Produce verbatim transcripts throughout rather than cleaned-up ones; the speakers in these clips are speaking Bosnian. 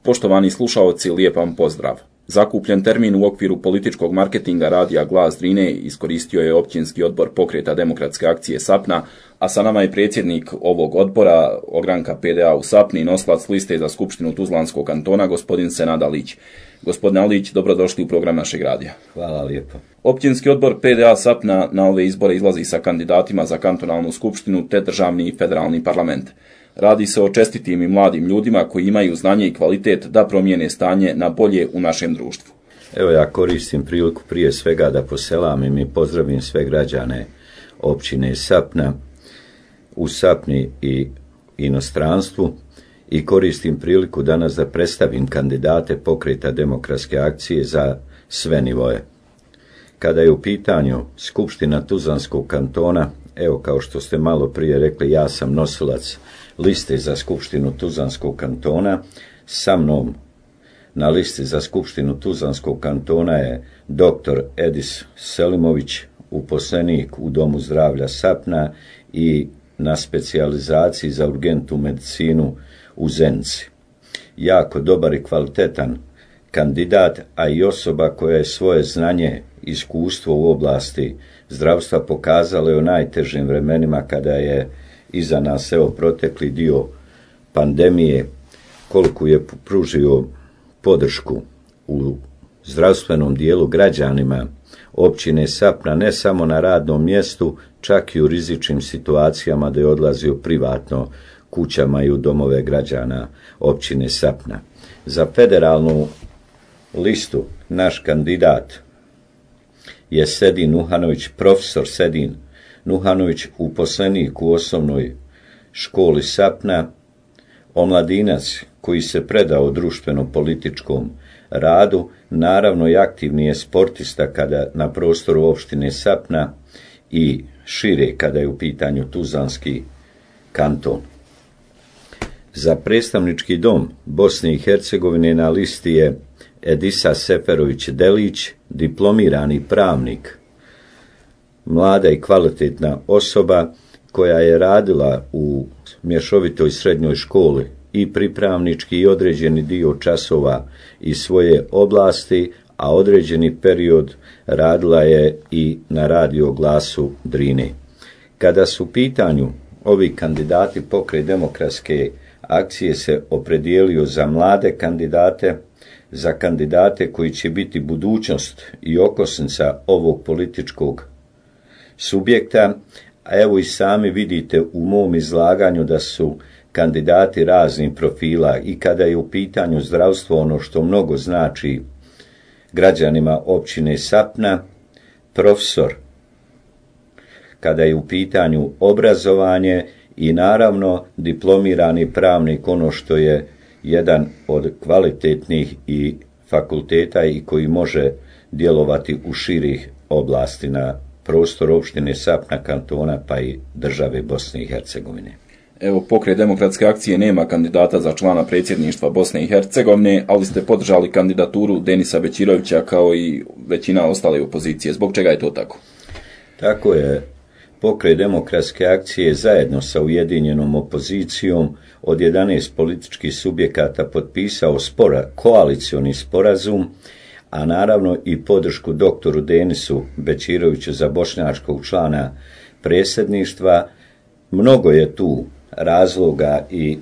Poštovani slušaoci, lijep vam pozdrav. Zakupljen termin u okviru političkog marketinga radija Glas Drine iskoristio je općinski odbor Pokreta demokratske akcije Sapna, a sa nama je predsjednik ovog odbora, ogranka P D A u Sapni, nosilac liste za Skupštinu Tuzlanskog kantona, gospodin Senad Alić. Gospodine Alić, dobrodošli u program našeg radija. Hvala lijepo. Općinski odbor P D A Sapna na ove izbore izlazi sa kandidatima za kantonalnu skupštinu te državni i federalni parlament. Radi se o čestitim i mladim ljudima koji imaju znanje i kvalitet da promijene stanje na bolje u našem društvu. Evo, ja koristim priliku prije svega da poselamim i pozdravim sve građane općine Sapna u Sapni i inostranstvu i koristim priliku danas da predstavim kandidate Pokreta demokratske akcije za sve nivoje. Kada je u pitanju Skupština Tuzlanskog kantona, evo, kao što ste malo prije rekli, ja sam nosilac liste za Skupštinu Tuzlanskog kantona. Sa mnom na listi za Skupštinu Tuzlanskog kantona je doktor Edis Selimović, uposlenik u Domu zdravlja Sapna i na specijalizaciji za urgentnu medicinu u Zenici. Jako dobar i kvalitetan kandidat, a i osoba koja je svoje znanje i iskustvo u oblasti zdravstva pokazala je u najtežim vremenima kada je iza nas evo protekli dio pandemije, koliko je pružio podršku u zdravstvenom dijelu građanima općine Sapna, ne samo na radnom mjestu, čak i u rizičnim situacijama da je odlazio privatno kućama i u domove građana općine Sapna. Za federalnu listu naš kandidat je Sedin Nuhanović, profesor Sedin Nuhanović, uposlenik u osnovnoj školi Sapna, omladinac koji se predao društveno-političkom radu, naravno i aktivni je sportista kada na prostoru opštine Sapna i šire kada je u pitanju Tuzlanski kanton. Za predstavnički dom Bosne i Hercegovine na listi je Edisa Seferović Delić, diplomirani pravnik, mlada i kvalitetna osoba koja je radila u mješovitoj srednjoj školi i pripravnički i određeni dio časova iz svoje oblasti, a određeni period radila je i na radio Glasu Drine. Kada su u pitanju ovi kandidati, Pokret demokratske akcije se opredijelio za mlade kandidate, za kandidate koji će biti budućnost i okosnica ovog političkog subjekta, a evo i sami vidite u mom izlaganju da su kandidati raznih profila i kada je u pitanju zdravstvo, ono što mnogo znači građanima općine Sapna, profesor, kada je u pitanju obrazovanje i naravno diplomirani pravnik, ono što je jedan od kvalitetnih i fakulteta i koji može djelovati u širih oblasti na prostor opštine Sapna, kantona pa i države Bosne i Hercegovine. Evo, Pokret demokratske akcije nema kandidata za člana predsjedništva Bosne i Hercegovine, ali ste podržali kandidaturu Denisa Bećirovića kao i većina ostale opozicije. Zbog čega je to tako? Tako je. Pokret demokratske akcije zajedno sa ujedinjenom opozicijom od jedanaest političkih subjekata potpisao spora, koalicioni sporazum, a naravno i podršku doktoru Denisu Bećiroviću za bošnjačkog člana predsjedništva. Mnogo je tu razloga i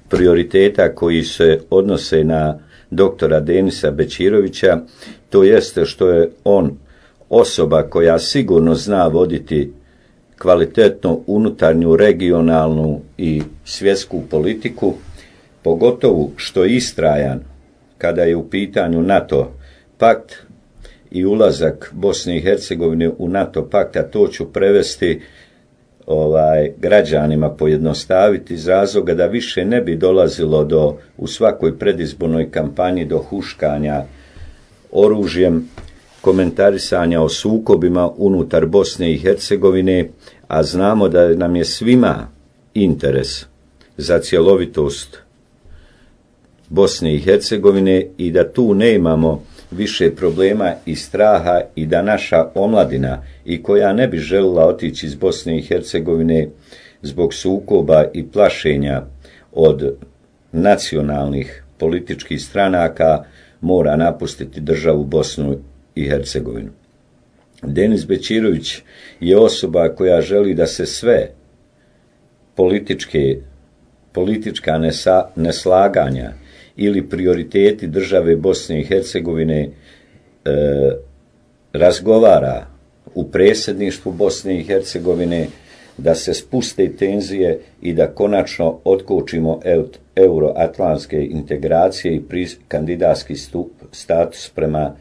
prioriteta koji se odnose na doktora Denisa Bećirovića, to jeste što je on osoba koja sigurno zna voditi kvalitetno unutarnju, regionalnu i svjetsku politiku, pogotovo što je istrajan kada je u pitanju NATO pakt i ulazak Bosne i Hercegovine u NATO pakt, a to ću prevesti ovaj, građanima, pojednostaviti iz razloga da više ne bi dolazilo do, u svakoj predizbornoj kampanji do huškanja oružjem, komentarisanja o sukobima unutar Bosne i Hercegovine, a znamo da nam je svima interes za cjelovitost Bosne i Hercegovine i da tu ne imamo više problema i straha i da naša omladina i koja ne bi željela otići iz Bosne i Hercegovine zbog sukoba i plašenja od nacionalnih političkih stranaka mora napustiti državu Bosnu i Hercegovinu. Denis Bećirović je osoba koja želi da se sve političke, politička nesa, neslaganja ili prioriteti države Bosne i Hercegovine e, razgovara u predsjedništvu Bosne i Hercegovine, da se spuste tenzije i da konačno otkočimo euroatlantske integracije i pri, kandidatski stup, status prema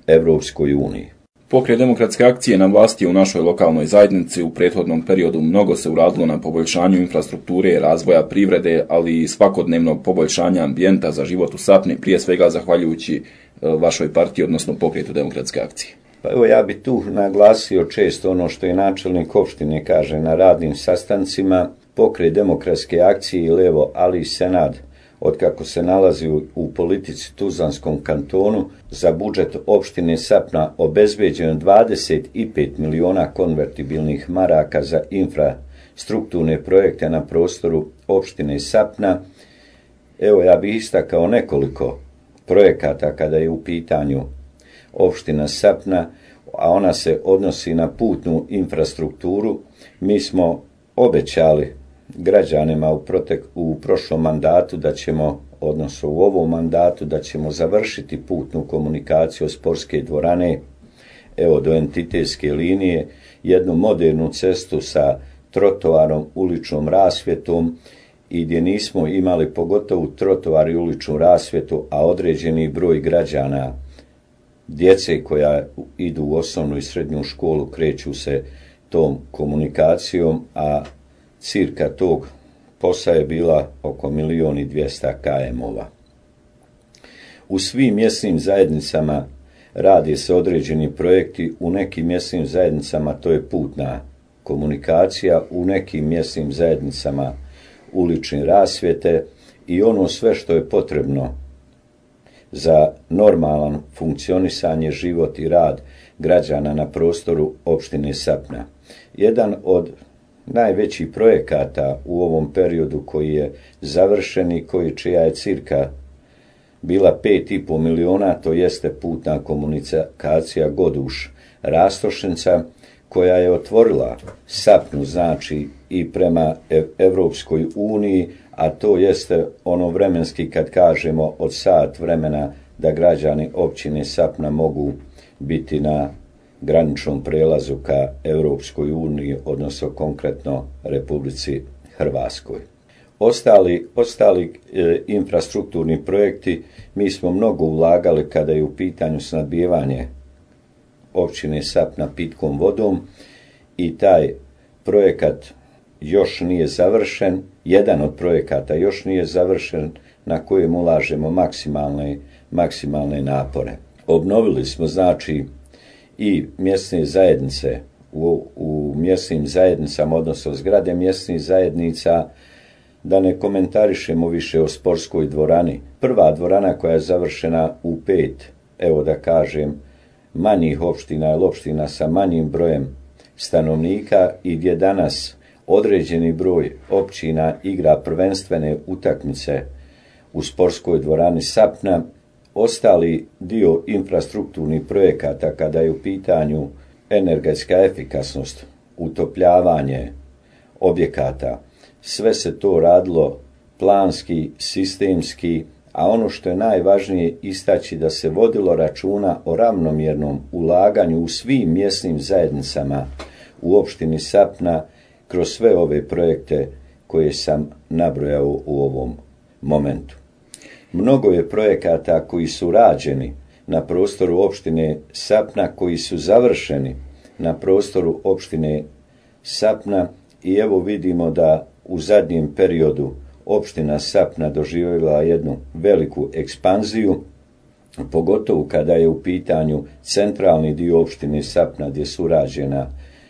Evropskoj uniji. Pokret demokratske akcije na vlasti je u našoj lokalnoj zajednici u prethodnom periodu mnogo se uradilo na poboljšanju infrastrukture, razvoja privrede, ali i svakodnevnog poboljšanja ambijenta za život u Sapni, prije svega zahvaljujući vašoj partiji, odnosno Pokretu demokratske akcije. Pa evo, ja bih tu naglasio često ono što je načelnik opštine kaže na radnim sastancima. Pokret demokratske akcije i Levo Ali Senad, od kako se nalazi u, u politici Tuzlanskom kantonu, za budžet opštine Sapna obezbeđeno dvadeset pet miliona konvertibilnih maraka za infrastrukturne projekte na prostoru opštine Sapna. Evo, ja bih istakao nekoliko projekata kada je u pitanju opština Sapna, a ona se odnosi na putnu infrastrukturu. Mi smo obećali građanima u, protek, u prošlom mandatu da ćemo, odnosno u ovom mandatu, da ćemo završiti putnu komunikaciju od sportske dvorane evo do entitetske linije, jednu modernu cestu sa trotoarom, uličnom rasvjetom i gdje nismo imali pogotovo trotoar i uličnu rasvjetu, a određeni broj građana, djece koja idu u osnovnu i srednju školu, kreću se tom komunikacijom, a cirka tog posla je bila oko milijon i dvjesto kilometara. U svim mjesnim zajednicama radi se određeni projekti, u nekim mjesnim zajednicama to je putna komunikacija, u nekim mjesnim zajednicama ulične rasvjete i ono sve što je potrebno za normalan funkcionisanje, život i rad građana na prostoru opštine Sapna. Jedan od najvećih projekata u ovom periodu koji je završen i koji čija je cirka bila pet i pol miliona, to jeste putna komunikacija Goduš Rastošnica, koja je otvorila Sapnu, znači i prema Evropskoj uniji, a to jeste ono vremenski kad kažemo od sat vremena da građani općine Sapna mogu biti na graničnom prelazu ka Evropskoj uniji, odnosno konkretno Republici Hrvatskoj. Ostali, ostali e, infrastrukturni projekti, mi smo mnogo ulagali kada je u pitanju snabdijevanje općine Sapna pitkom vodom i taj projekat još nije završen, jedan od projekata još nije završen na kojem ulažemo maksimalne, maksimalne napore. Obnovili smo znači i mjesne zajednice u, u mjesnim zajednicama, odnosno zgrade mjesnih zajednica, da ne komentarišemo više o sportskoj dvorani. Prva dvorana koja je završena u pet, evo da kažem, manjih opština ili opština sa manjim brojem stanovnika i gdje danas određeni broj općina igra prvenstvene utakmice u sportskoj dvorani Sapna. Ostali dio infrastrukturnih projekata kada je u pitanju energetska efikasnost, utopljavanje objekata, sve se to radilo planski, sistemski, a ono što je najvažnije istaći da se vodilo računa o ravnomjernom ulaganju u svim mjesnim zajednicama u opštini Sapna kroz sve ove projekte koje sam nabrojao u ovom momentu. Mnogo je projekata koji su rađeni na prostoru opštine Sapna, koji su završeni na prostoru opštine Sapna i evo vidimo da u zadnjem periodu opština Sapna doživjela jednu veliku ekspanziju, pogotovo kada je u pitanju centralni dio opštine Sapna gdje su urađena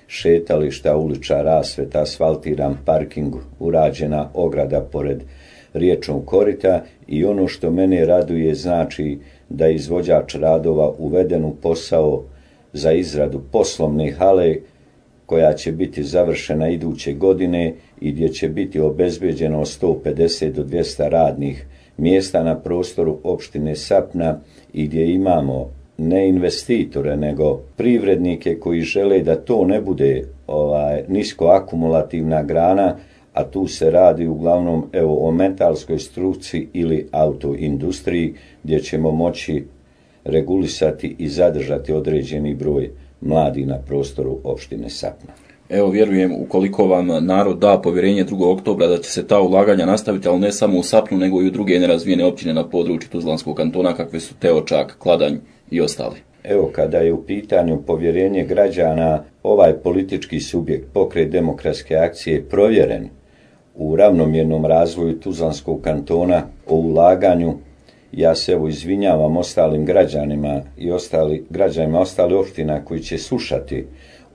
šetališta, ulična rasvjeta, asfaltiran parking, urađena ograda pored riječnog korita i ono što mene raduje znači da je izvođač radova uveden u posao za izradu poslovne hale koja će biti završena iduće godine i gdje će biti obezbeđeno sto pedeset do dvjesto radnih mjesta na prostoru opštine Sapna i gdje imamo ne investitore, nego privrednike koji žele da to ne bude ovaj, nisko akumulativna grana, a tu se radi uglavnom evo, o metalskoj struci ili autoindustriji, gdje ćemo moći regulisati i zadržati određeni broj mladi na prostoru opštine Sapna. Evo, vjerujem, ukoliko vam narod da povjerenje drugog oktobra, da će se ta ulaganja nastaviti, ali ne samo u Sapnu, nego i u druge nerazvijene općine na području Tuzlanskog kantona, kakve su Teočak, Kladanj i ostali. Evo, kada je u pitanju povjerenje građana, ovaj politički subjekt, Pokret demokratske akcije, provjeren u ravnomjernom razvoju Tuzlanskog kantona, o ulaganju. Ja se evo izvinjavam ostalim građanima i ostali, građanima ostalih opština koji će slušati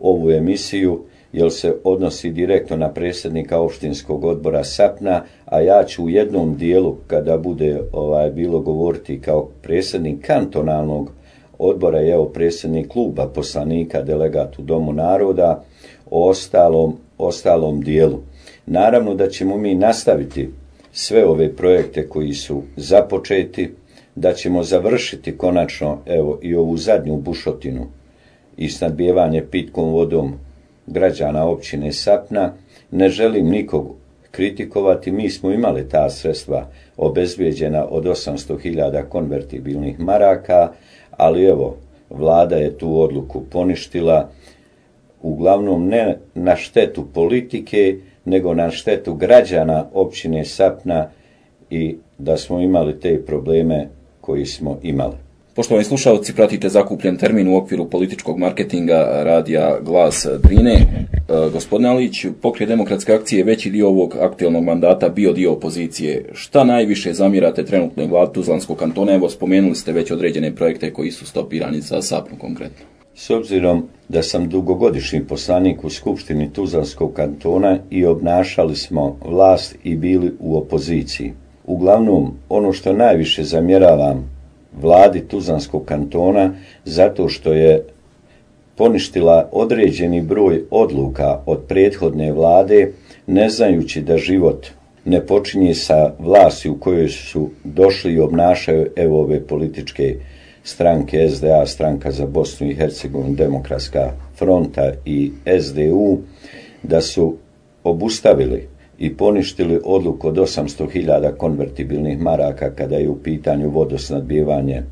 ovu emisiju, jer se odnosi direktno na predsjednika opštinskog odbora Sapna, a ja ću u jednom dijelu, kada bude ovaj, bilo govoriti kao predsjednik kantonalnog odbora i evo predsjednik kluba poslanika, delegat u Domu naroda, o ostalom, ostalom dijelu. Naravno da ćemo mi nastaviti sve ove projekte koji su započeti, da ćemo završiti konačno evo i ovu zadnju bušotinu i snadbijevanje pitkom vodom građana općine Sapna. Ne želim nikog kritikovati, mi smo imali ta sredstva obezbijeđena od osamsto hiljada konvertibilnih maraka, ali evo, vlada je tu odluku poništila, uglavnom ne na štetu politike, nego na štetu građana općine Sapna i da smo imali te probleme koji smo imali. Poštovani slušalci, pratite Zakupljen termin u okviru političkog marketinga radija Glas Drine. E, gospodine Alić, Pokret demokratske akcije veći dio ovog aktualnog mandata bio dio opozicije. Šta najviše zamjerate trenutnoj vladi Tuzlanskog kantona? Evo, spomenuli ste već određene projekte koji su stopirani za Sapnu konkretno. S obzirom da sam dugogodišnji poslanik u Skupštini Tuzlanskog kantona i obnašali smo vlast i bili u opoziciji. Uglavnom, ono što najviše zamjeravam vladi Tuzlanskog kantona, zato što je poništila određeni broj odluka od prethodne vlade, ne znajući da život ne počinje sa vlasti u kojoj su došli i obnašaju evo ove političke stranke S D A, Stranka za Bosnu i Hercegovinu, Demokratska fronta i S D U, da su obustavili i poništili odluku od osamsto hiljada konvertibilnih maraka kada je u pitanju vodosnadbijevanje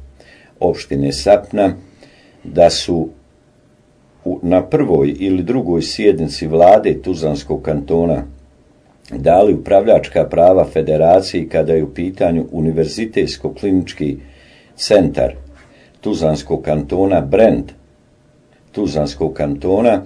opštine Sapna, da su na prvoj ili drugoj sjednici vlade Tuzlanskog kantona dali upravljačka prava federaciji kada je u pitanju univerzitetsko-klinički centar Tuzlanskog kantona, brend Tuzlanskog kantona,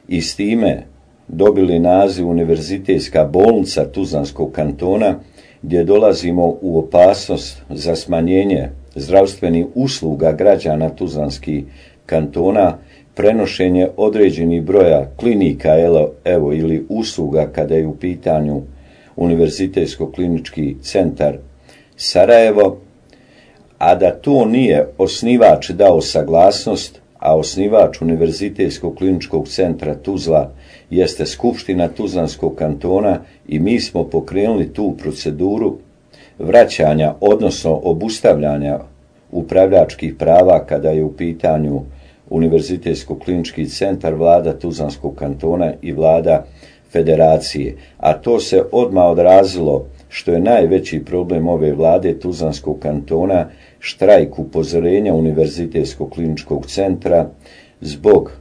i s time dobili naziv Univerzitetska bolnica Tuzlanskog kantona, gdje dolazimo u opasnost za smanjenje zdravstvenih usluga građana Tuzlanskih kantona, prenošenje određenih broja klinika evo ili usluga kada je u pitanju Univerzitetsko-klinički centar Sarajevo, a da to nije osnivač dao saglasnost, a osnivač Univerzitetskog kliničkog centra Tuzla jeste Skupština Tuzlanskog kantona i mi smo pokrenuli tu proceduru vraćanja, odnosno obustavljanja upravljačkih prava kada je u pitanju Univerzitetsko klinički centar, vlada Tuzlanskog kantona i vlada federacije. A to se odmah odrazilo, što je najveći problem ove vlade Tuzlanskog kantona, štrajk upozorenja Univerzitetskog kliničkog centra zbog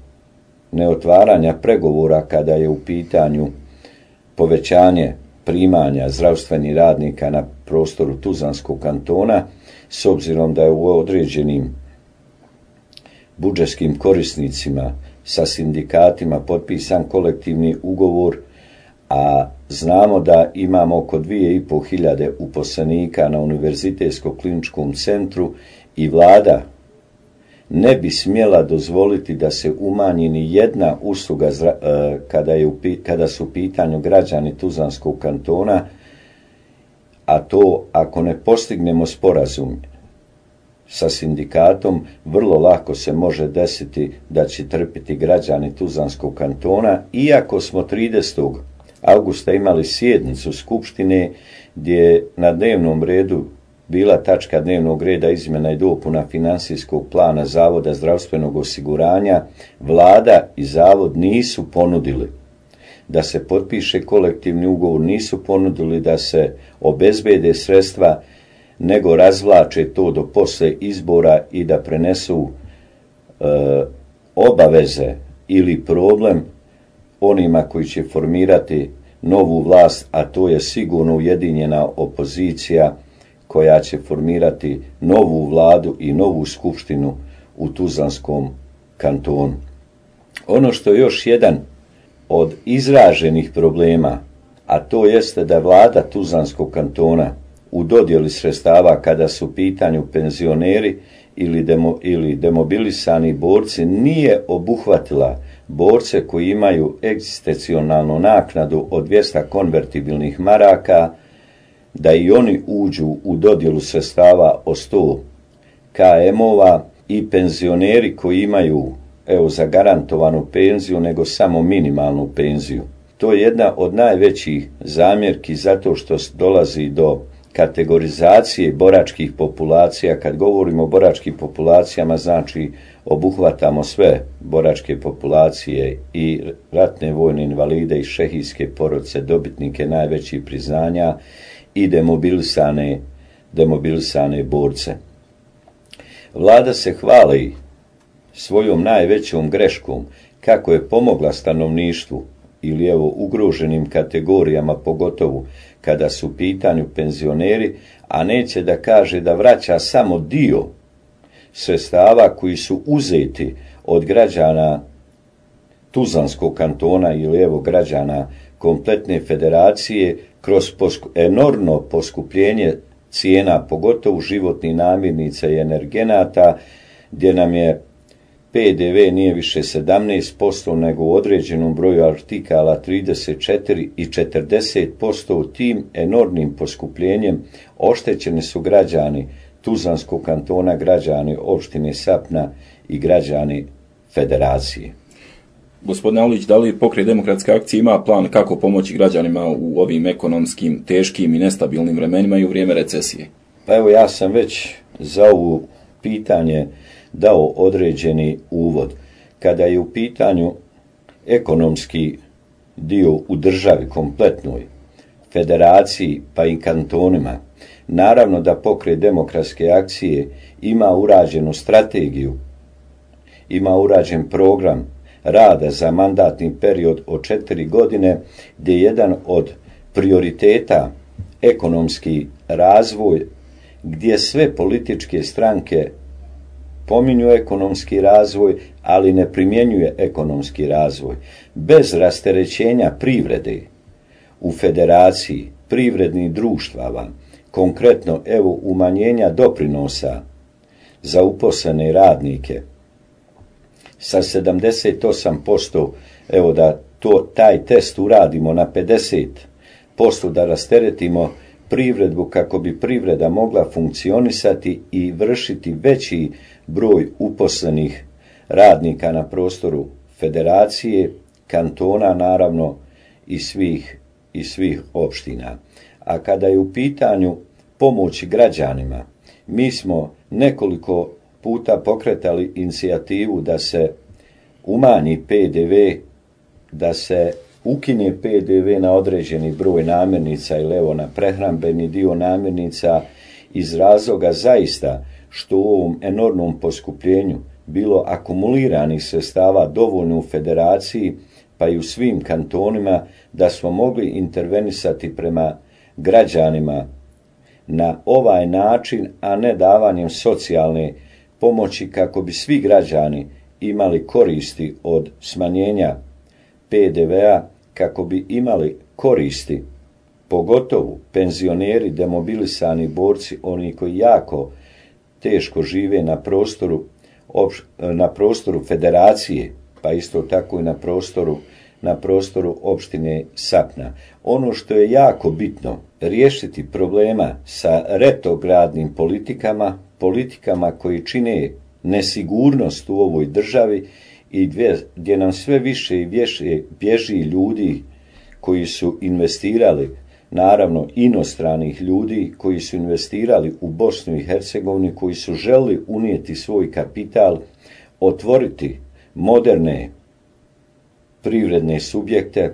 neotvaranja pregovora kada je u pitanju povećanje primanja zdravstvenih radnika na prostoru Tuzlanskog kantona, s obzirom da je u određenim budžetskim korisnicima sa sindikatima potpisan kolektivni ugovor, a znamo da imamo oko dvije i pol hiljade uposlenika na Univerzitetskom kliničkom centru i vlada ne bi smjela dozvoliti da se umanji ni jedna usluga kada, je u, kada su u pitanju građani Tuzlanskog kantona, a to ako ne postignemo sporazum sa sindikatom, vrlo lako se može desiti da će trpiti građani Tuzlanskog kantona, iako smo tridesetog avgusta imali sjednicu Skupštine gdje je na dnevnom redu bila tačka dnevnog reda izmjena i dopuna financijskog plana Zavoda zdravstvenog osiguranja. Vlada i Zavod nisu ponudili da se potpiše kolektivni ugovor, nisu ponudili da se obezbede sredstva, nego razvlače to do posle izbora i da prenesu e, obaveze ili problem onima koji će formirati novu vlast, a to je sigurno ujedinjena opozicija koja će formirati novu vladu i novu skupštinu u Tuzlanskom kantonu. Ono što je još jedan od izraženih problema, a to jeste da vlada Tuzlanskog kantona u dodjeli sredstava kada su u pitanju penzioneri ili, demo, ili demobilisani borci nije obuhvatila borce koji imaju egzistencionalnu naknadu od dvjesto konvertibilnih maraka, da i oni uđu u dodjelu sredstava od sto km-ova i penzioneri koji imaju evo zagarantovanu penziju nego samo minimalnu penziju. To je jedna od najvećih zamjerki zato što dolazi do kategorizacije boračkih populacija. Kad govorimo o boračkim populacijama, znači obuhvatamo sve boračke populacije, i ratne vojne invalide i šehijske porodice, dobitnike najvećih priznanja i demobilisane, demobilisane borce. Vlada se hvali svojom najvećom greškom kako je pomogla stanovništvu ili evo ugroženim kategorijama, pogotovo kada su u pitanju penzioneri, a neće da kaže da vraća samo dio sredstava koji su uzeti od građana Tuzlanskog kantona ili evo građana kompletne federacije kroz posku, enormno poskupljenje cijena, pogotovo životnih namirnica i energenata, gdje nam je P D V nije više sedamnaest posto nego u određenom broju artikala trideset četiri i četrdeset posto. Tim enormnim poskupljenjem oštećeni su građani Tuzlanskog kantona, građani opštine Sapna i građani federacije. Gospodine Aulić, da li Pokret demokratske akcije ima plan kako pomoći građanima u ovim ekonomskim, teškim i nestabilnim vremenima i u vrijeme recesije? Pa evo, ja sam već za ovo pitanje dao određeni uvod. Kada je u pitanju ekonomski dio u državi kompletnoj, federaciji pa i kantonima, naravno da Pokret demokratske akcije ima urađenu strategiju, ima urađen program rada za mandatni period od četiri godine, gdje je jedan od prioriteta ekonomski razvoj, gdje sve političke stranke pominju ekonomski razvoj, ali ne primjenjuje ekonomski razvoj. Bez rasterećenja privrede u federaciji, privrednih društava, konkretno evo umanjenja doprinosa za uposlene radnike sa sedamdeset osam posto, evo da to, taj test uradimo na pedeset posto, da rasteretimo privredu kako bi privreda mogla funkcionisati i vršiti veći broj uposlenih radnika na prostoru federacije, kantona naravno i svih, i svih opština. A kada je u pitanju pomoći građanima, mi smo nekoliko puta pokretali inicijativu da se umanji P D V, da se ukine P D V na određeni broj namirnica ili evo na prehrambeni dio namirnica, iz razloga zaista što u ovom enormnom poskupljenju bilo akumuliranih sredstava dovoljno u federaciji pa i u svim kantonima, da smo mogli intervenisati prema građanima na ovaj način, a ne davanjem socijalne pomoći kako bi svi građani imali koristi od smanjenja P D V-a, kako bi imali koristi, pogotovo penzioneri, demobilisani borci, oni koji jako teško žive na prostoru, na prostoru federacije, pa isto tako i na prostoru, na prostoru opštine Sapna. Ono što je jako bitno, riješiti problema sa retrogradnim politikama, politikama koji čine nesigurnost u ovoj državi i gdje nam sve više i više bježi ljudi koji su investirali, naravno inostranih ljudi koji su investirali u Bosnu i Hercegovini, koji su želeli unijeti svoj kapital, otvoriti moderne privredne subjekte,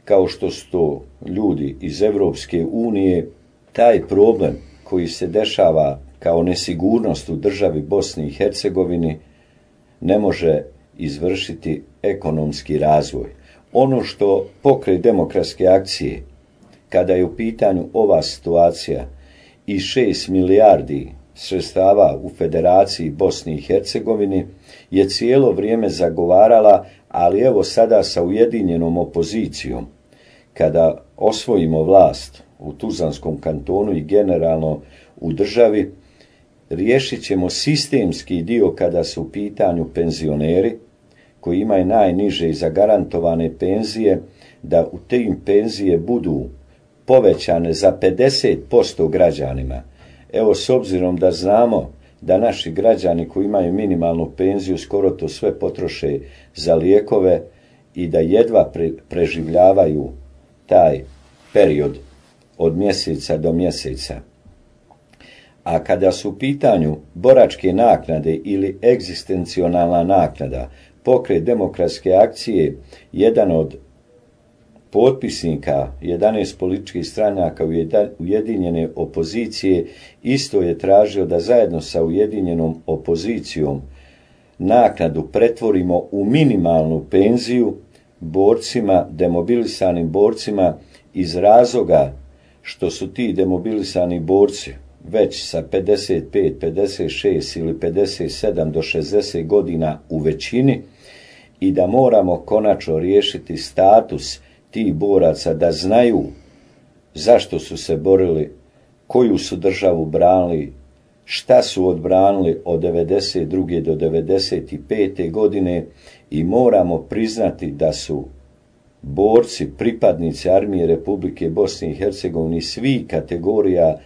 kao što su to ljudi iz Evropske unije. Taj problem koji se dešava kao nesigurnost u državi Bosni i Hercegovini ne može izvršiti ekonomski razvoj. Ono što Pokret demokratske akcije, kada je u pitanju ova situacija i šest milijardi sredstava u Federaciji Bosni i Hercegovini, je cijelo vrijeme zagovarala, ali evo sada sa ujedinjenom opozicijom, kada osvojimo vlast u Tuzlanskom kantonu i generalno u državi, riješit ćemo sistemski dio kada su u pitanju penzioneri, koji imaju najniže i zagarantovane penzije, da u tim penzije budu povećane za pedeset posto građanima. Evo, s obzirom da znamo da naši građani koji imaju minimalnu penziju skoro to sve potroše za lijekove i da jedva pre, preživljavaju taj period od mjeseca do mjeseca. A kada su u pitanju boračke naknade ili egzistencionalna naknada, Pokret demokratske akcije, jedan od potpisnika jedanaest političkih stranaka ujedinjene opozicije, isto je tražio da zajedno sa ujedinjenom opozicijom naknadu pretvorimo u minimalnu penziju borcima, demobilisanim borcima, iz razloga što su ti demobilisani borci već sa pedeset pet, pedeset šest ili pedeset sedam do šezdeset godina u većini i da moramo konačno riješiti status tih boraca, da znaju zašto su se borili, koju su državu branili, šta su odbranili od devedeset druge do devedeset pete godine, i moramo priznati da su borci, pripadnici Armije Republike Bosne i Hercegovine svih kategorija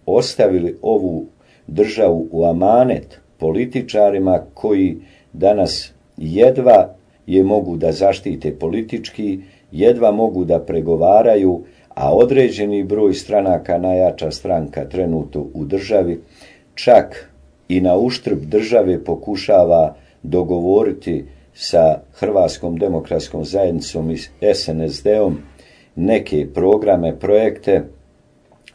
ostavili ovu državu u amanet političarima koji danas jedva je mogu da zaštite politički, jedva mogu da pregovaraju, a određeni broj stranaka, najjača stranka trenutno u državi, čak i na uštrb države pokušava dogovoriti sa Hrvatskom demokratskom zajednicom i S N S D-om neke programe, projekte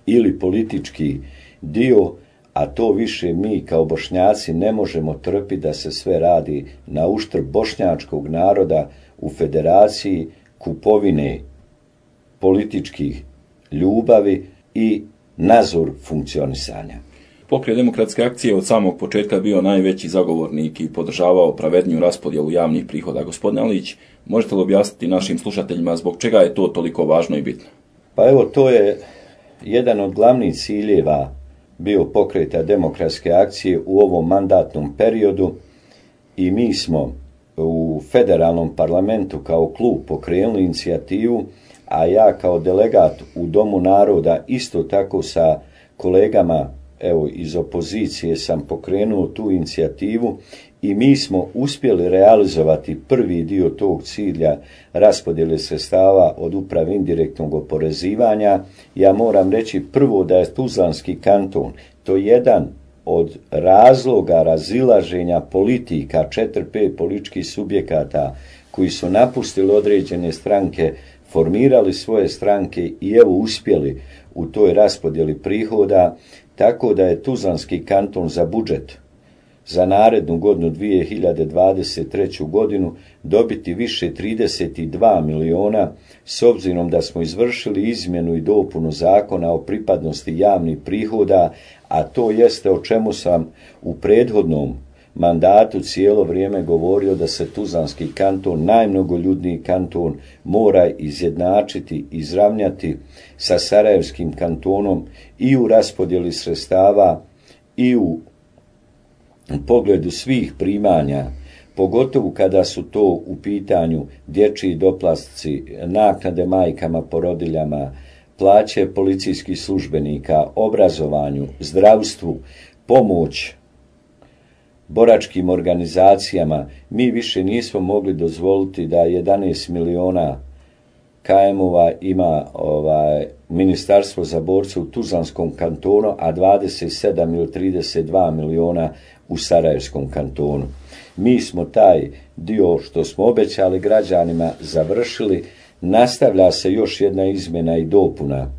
ili politički dio, a to više mi kao Bošnjaci ne možemo trpiti da se sve radi na uštrb bošnjačkog naroda u Federaciji, kupovine političkih ljubavi i nadzor funkcionisanja. Pokret demokratske akcije od samog početka bio najveći zagovornik i podržavao pravedniju raspodjelu javnih prihoda. Gospodine Alić, možete li objasniti našim slušateljima zbog čega je to toliko važno i bitno? Pa evo, to je jedan od glavnih ciljeva bio Pokreta demokratske akcije u ovom mandatnom periodu, i mi smo u federalnom parlamentu kao klub pokrenuli inicijativu, a ja kao delegat u Domu naroda isto tako sa kolegama evo iz opozicije sam pokrenuo tu inicijativu, i mi smo uspjeli realizovati prvi dio tog cilja raspodjele sredstava od uprave indirektnog oporezivanja. Ja moram reći prvo da je Tuzlanski kanton to jedan od razloga razilaženja politika četiri pet političkih subjekata koji su napustili određene stranke, formirali svoje stranke i evo uspjeli u toj raspodjeli prihoda, tako da je Tuzlanski kanton za budžet za narednu godinu dvije hiljade dvadeset treću godinu dobiti više trideset dva miliona, s obzirom da smo izvršili izmjenu i dopunu zakona o pripadnosti javnih prihoda, a to jeste o čemu sam u prethodnom mandatu cijelo vrijeme govorio, da se Tuzlanski kanton, najmnogoljudniji kanton, mora izjednačiti, izravnjati sa Sarajevskim kantonom i u raspodjeli sredstava i u pogledu svih primanja, pogotovo kada su to u pitanju dječji doplatci, naknade majkama, porodiljama, plaće policijskih službenika, obrazovanju, zdravstvu, pomoć boračkim organizacijama. Mi više nismo mogli dozvoliti da jedanaest miliona K M-ova ima ovaj, ministarstvo za borce u Tuzlanskom kantonu, a dvadeset sedam ili trideset dva miliona u Sarajevskom kantonu. Mi smo taj dio što smo obećali građanima završili. Nastavlja se još jedna izmjena i dopuna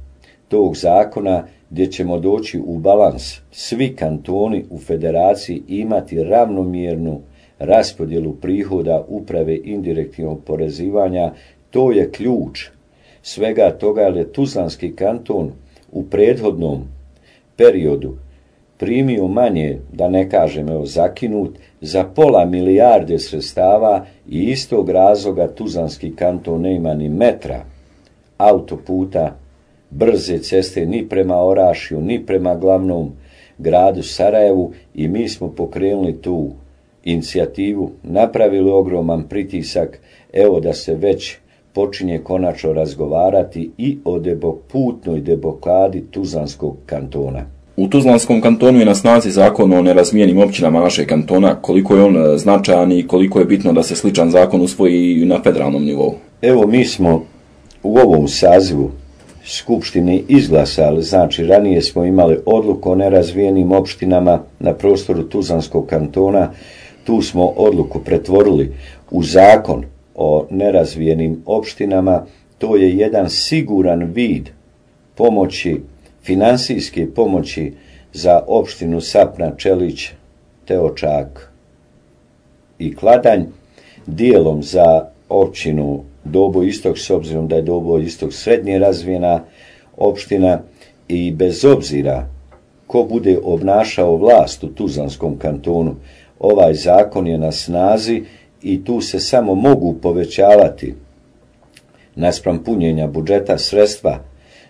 tog zakona gdje ćemo doći u balans. Svi kantoni u federaciji imati ravnomjernu raspodjelu prihoda uprave indirektnog oporezivanja. To je ključ svega toga, jer je Tuzlanski kanton u prethodnom periodu primio manje, da ne kažem evo zakinut, za pola milijarde sredstava i istog razloga Tuzlanski kanton nema ni metra autoputa, brze ceste ni prema Orašju, ni prema glavnom gradu Sarajevu, i mi smo pokrenuli tu inicijativu, napravili ogroman pritisak, evo da se već počinje konačno razgovarati i o debo, putnoj deblokadi Tuzlanskog kantona. U Tuzlanskom kantonu je na snazi zakon o nerazvijenim općinama našeg kantona. Koliko je on značajan i koliko je bitno da se sličan zakon usvoji na federalnom nivou? Evo, mi smo u ovom sazivu Skupštine izglasali, znači ranije smo imali odluku o nerazvijenim opštinama na prostoru Tuzlanskog kantona, tu smo odluku pretvorili u zakon o nerazvijenim opštinama. To je jedan siguran vid pomoći, finansijske pomoći za opštinu Sapna, Čelić, Teočak i Kladanj, dijelom za općinu Dobo Istok, s obzirom da je Dobo Istok srednje razvijena opština, i bez obzira ko bude obnašao vlast u Tuzlanskom kantonu, ovaj zakon je na snazi i tu se samo mogu povećavati naspram punjenja budžeta sredstva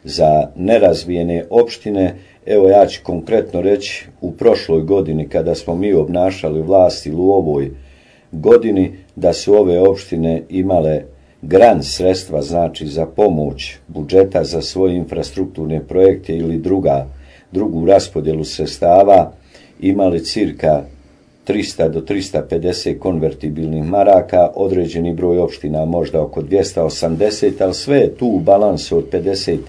za nerazvijene opštine. Evo, ja ću konkretno reći, u prošloj godini kada smo mi obnašali vlast ili u ovoj godini, da su ove opštine imale grant sredstva, znači za pomoć budžeta za svoje infrastrukturne projekte ili druga, drugu raspodjelu sredstava, imali cirka trista do trista pedeset konvertibilnih maraka, određeni broj opština možda oko dvjesto osamdeset, ali sve je tu u balansu od pedeset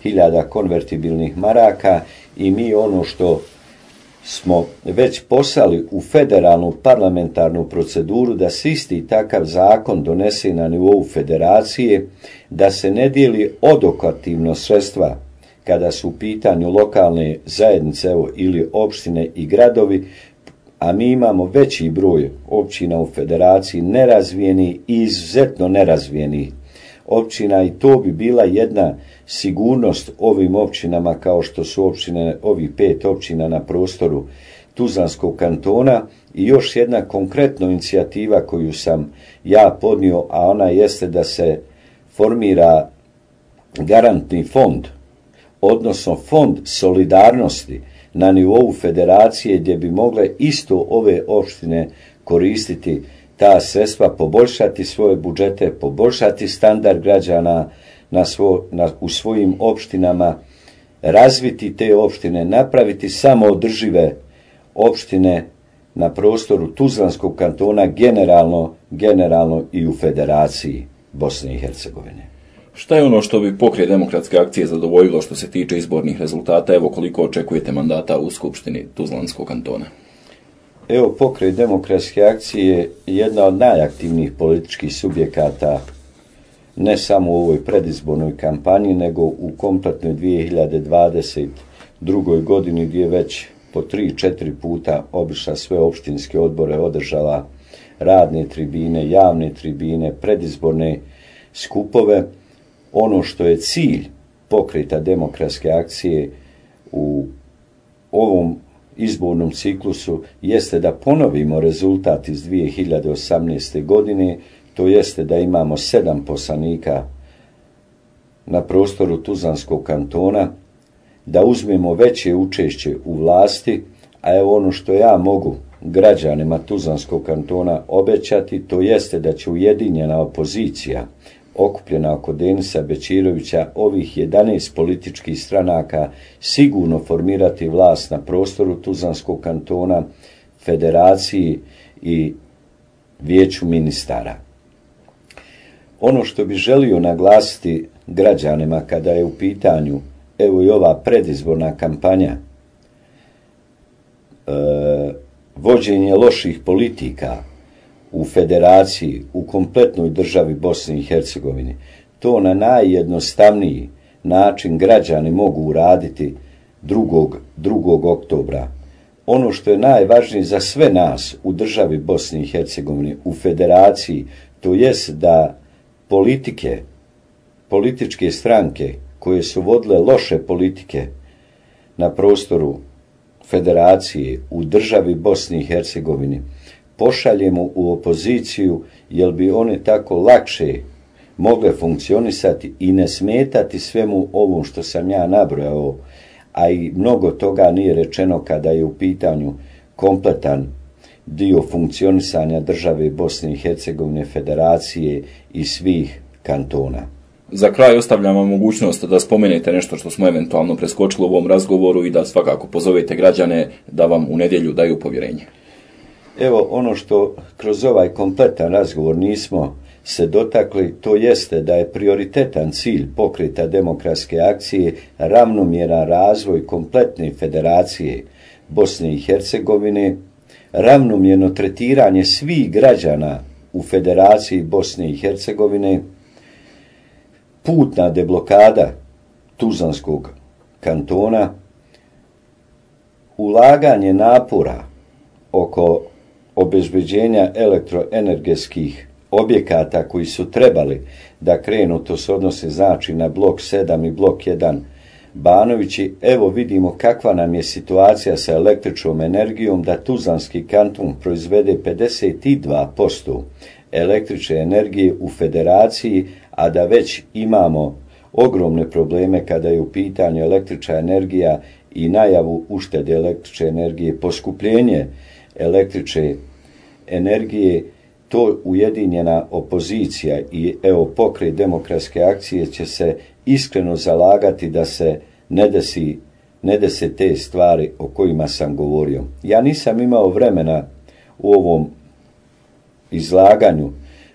hiljada konvertibilnih maraka, i mi ono što smo već poslali u federalnu parlamentarnu proceduru, da se isti takav zakon donese na nivou federacije, da se ne dijeli odokativno sredstva kada su u pitanju lokalne zajednice evo, ili opštine i gradovi, a mi imamo veći broj općina u federaciji nerazvijeni i izuzetno nerazvijeni općina, i to bi bila jedna sigurnost ovim općinama kao što su općine, ovih pet općina na prostoru Tuzlanskog kantona. I još jedna konkretna inicijativa koju sam ja podnio, a ona jeste da se formira garantni fond, odnosno fond solidarnosti na nivou federacije, gdje bi mogle isto ove opštine koristiti ta sredstva, poboljšati svoje budžete, poboljšati standard građana na svo, na, u svojim opštinama, razviti te opštine, napraviti samoodržive opštine na prostoru Tuzlanskog kantona, generalno, generalno i u federaciji Bosne i Hercegovine. Šta je ono što bi Pokret demokratske akcije zadovoljilo što se tiče izbornih rezultata? Evo, koliko očekujete mandata u Skupštini Tuzlanskog kantona? Evo, Pokret demokratske akcije je jedna od najaktivnijih političkih subjekata, ne samo u ovoj predizbornoj kampanji, nego u kompletnoj dvije hiljade dvadeset drugoj godini, gdje već po tri, četiri puta obišla sve opštinske odbore, održala radne tribine, javne tribine, predizborne skupove. Ono što je cilj Pokreta demokratske akcije u ovom izbornom ciklusu jeste da ponovimo rezultat iz dvije hiljade osamnaeste. godine, to jeste da imamo sedam poslanika na prostoru Tuzlanskog kantona, da uzmemo veće učešće u vlasti, a evo ono što ja mogu građanima Tuzlanskog kantona obećati, to jeste da će ujedinjena opozicija okupljena oko Denisa Bećirovića, ovih jedanaest političkih stranaka, sigurno formirati vlast na prostoru Tuzlanskog kantona, federaciji i vijeću ministara. Ono što bi želio naglasiti građanima kada je u pitanju evo i ova predizborna kampanja, e, vođenje loših politika u federaciji, u kompletnoj državi Bosne i Hercegovine, to na najjednostavniji način građani mogu uraditi drugog oktobra. Ono što je najvažnije za sve nas u državi Bosne i Hercegovine, u federaciji, to jest da politike, političke stranke koje su vodile loše politike na prostoru federacije u državi Bosne i Hercegovine pošaljemo u opoziciju, jer bi one tako lakše mogle funkcionisati i ne smetati svemu ovom što sam ja nabrojao, a i mnogo toga nije rečeno kada je u pitanju kompletan dio funkcionisanja države Bosne i Hercegovine, federacije i svih kantona. Za kraj ostavljam vam mogućnost da spomenete nešto što smo eventualno preskočili u ovom razgovoru i da svakako pozovete građane da vam u nedjelju daju povjerenje. Evo, ono što kroz ovaj kompletan razgovor nismo se dotakli, to jeste da je prioritetan cilj Pokreta demokratske akcije ravnomjeran razvoj kompletne federacije Bosne i Hercegovine, ravnomjerno tretiranje svih građana u federaciji Bosne i Hercegovine, putna deblokada Tuzlanskog kantona, ulaganje napora oko obezbeđenja elektroenergetskih objekata koji su trebali da krenu, to se odnose znači na blok sedam i blok jedan Banovići. Evo vidimo kakva nam je situacija sa električnom energijom, da Tuzlanski kanton proizvede pedeset dva posto električne energije u federaciji, a da već imamo ogromne probleme kada je u pitanju električna energija i najavu uštede električne energije, poskupljenje električne energije. To ujedinjena opozicija i evo Pokret demokratske akcije će se iskreno zalagati da se ne desi, ne desi te stvari o kojima sam govorio. Ja nisam imao vremena u ovom izlaganju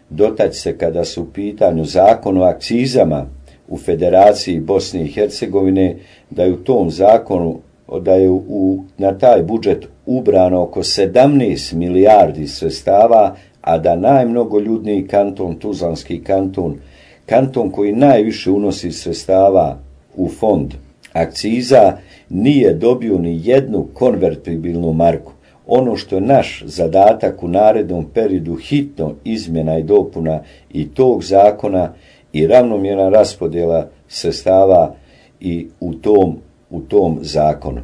dotaći se kada su u pitanju zakon o akcizama u Federaciji Bosne i Hercegovine, da je u tom zakonu, da je u, na taj budžet ubrano oko sedamnaest milijardi sredstava, a da najmnogoljudniji kanton, Tuzlanski kanton, kanton koji najviše unosi sredstava u fond akciza, nije dobio ni jednu konvertibilnu marku. Ono što je naš zadatak u narednom periodu, hitno izmjena i dopuna i tog zakona i ravnomjerna raspodjela sredstava i u tom, u tom zakonu.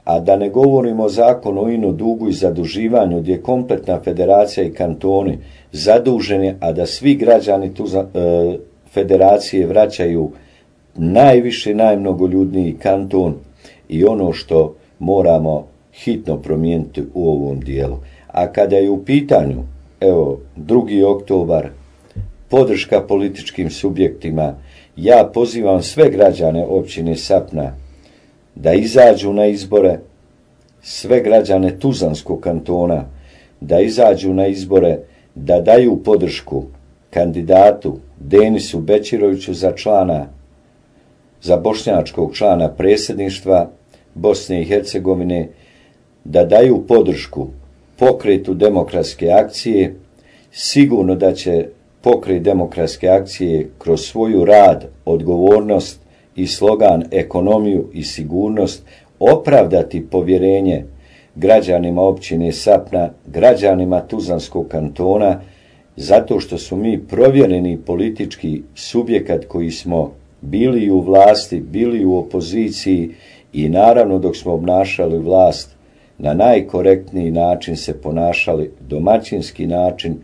A da ne govorimo o zakonu o ino dugu i zaduživanju, gdje je kompletna federacija i kantoni zaduženi, a da svi građani tu e, federacije vraćaju najviše, najmnogoljudniji kanton, i ono što moramo hitno promijeniti u ovom dijelu. A kada je u pitanju, evo, drugi oktobar, podrška političkim subjektima, ja pozivam sve građane općine Sapna da izađu na izbore, sve građane Tuzlanskog kantona da izađu na izbore, da daju podršku kandidatu Denisu Bećiroviću za člana, za bošnjačkog člana predsjedništva Bosne i Hercegovine, da daju podršku Pokretu demokratske akcije. Sigurno da će Pokret demokratske akcije kroz svoju rad, odgovornost i slogan ekonomiju i sigurnost opravdati povjerenje građanima općine Sapna, građanima Tuzlanskog kantona, zato što su mi provjereni politički subjekat koji smo bili u vlasti, bili u opoziciji i naravno dok smo obnašali vlast na najkorektniji način se ponašali, domaćinski način,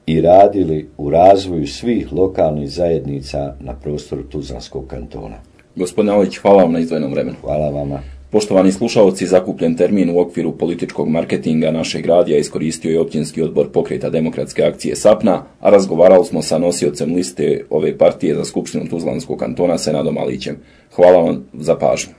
i radili u razvoju svih lokalnih zajednica na prostoru Tuzlanskog kantona. Gospodine Alević, hvala vam na izdvojenom vremenu. Hvala vama. Poštovani slušalci, zakupljen termin u okviru političkog marketinga našeg radija iskoristio je općinski odbor Pokreta demokratske akcije Sapna, a razgovarali smo sa nosiocem liste ove partije za Skupštinu Tuzlanskog kantona Senadom Alićem. Hvala vam za pažnju.